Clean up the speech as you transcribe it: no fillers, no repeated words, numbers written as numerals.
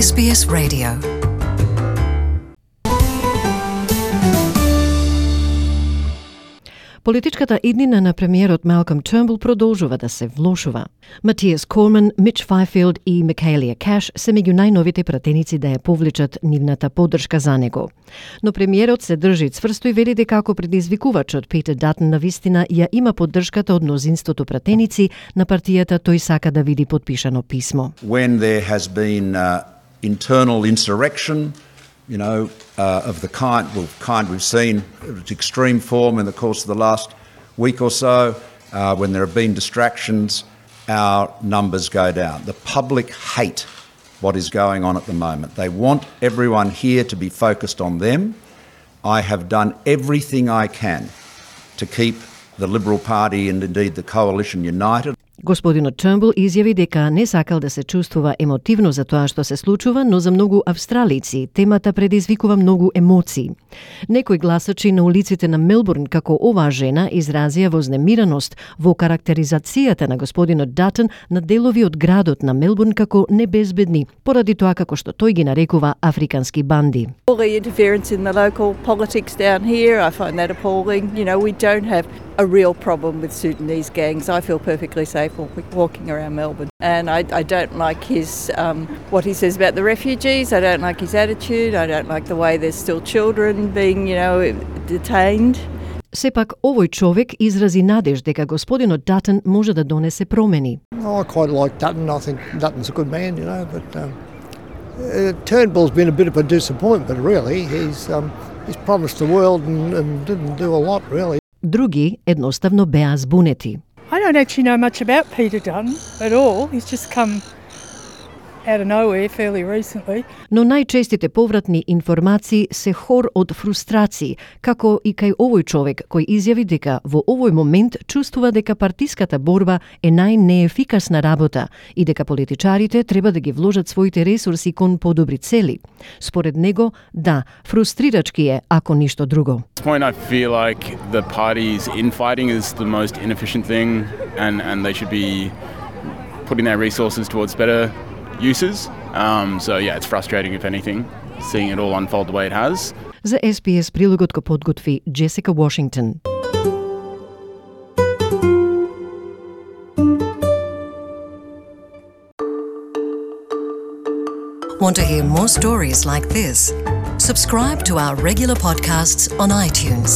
SBS Radio. Политичката иднина на премиерот Малком Тернбул продолжува да се влошува. Матиас Корман, Мич Файфилд и Микаелија Каш се меѓу најновите пратеници да ја повлечат нивната поддршка за него. Но премиерот се држи цврсто и вели дека ако предизвикувачот Питер Датон навистина ја има поддршката од мнозинството пратеници на партијата, тој сака да види подпишано писмо. When there has been internal insurrection, of the kind we've seen at extreme form in the course of the last week or so, when there have been distractions, our numbers go down. The public hate what is going on at the moment. They want everyone here to be focused on them. I have done everything I can to keep the Liberal Party and indeed the coalition united. Господинот Тернбул изјави дека не сакал да се чувствува емотивно за тоа што се случува, но за многу австралици темата предизвикува многу емоции. Некои гласачи на улиците на Мелбурн како оваа жена изразија вознемираност во карактеризацијата на господинот Датон на делови од градот на Мелбурн како небезбедни, поради тоа како што тој ги нарекува африкански банди. All the interference in the local politics down here, I find that appalling. We don't have a real problem with Sudanese gangs. I feel perfectly safe walking around Melbourne. And I don't like his what he says about the refugees. I don't like his attitude. I don't like the way there's still children being, detained. Сепак, овој човек изрази надеж дека господинот Датон може да донесе промени. I quite like Dutton. I think Dutton's a good man, but Turnbull's been a bit of a disappointment, really. He's promised the world and didn't do a lot, really. Други едноставно беа збунети. I don't actually know much about Peter Dutton at all. He's just come out of nowhere fairly recently. Но најчестите повратни информации се хор од фрустрации, како и кај овој човек кој изјави дека во овој момент чувствува дека партиската борба е најнеефикасна работа и дека политичарите треба да ги вложат своите ресурси кон подобри цели. Според него, да, фрустрирачки е, ако ништо друго. At this point I feel like the party's infighting is the most inefficient thing and they should be putting their resources towards better uses. It's frustrating if anything, seeing it all unfold the way it has. За SBS прилогот го подготви Джесика Вашингтон. Want to hear more stories like this? Subscribe to our regular podcasts on iTunes.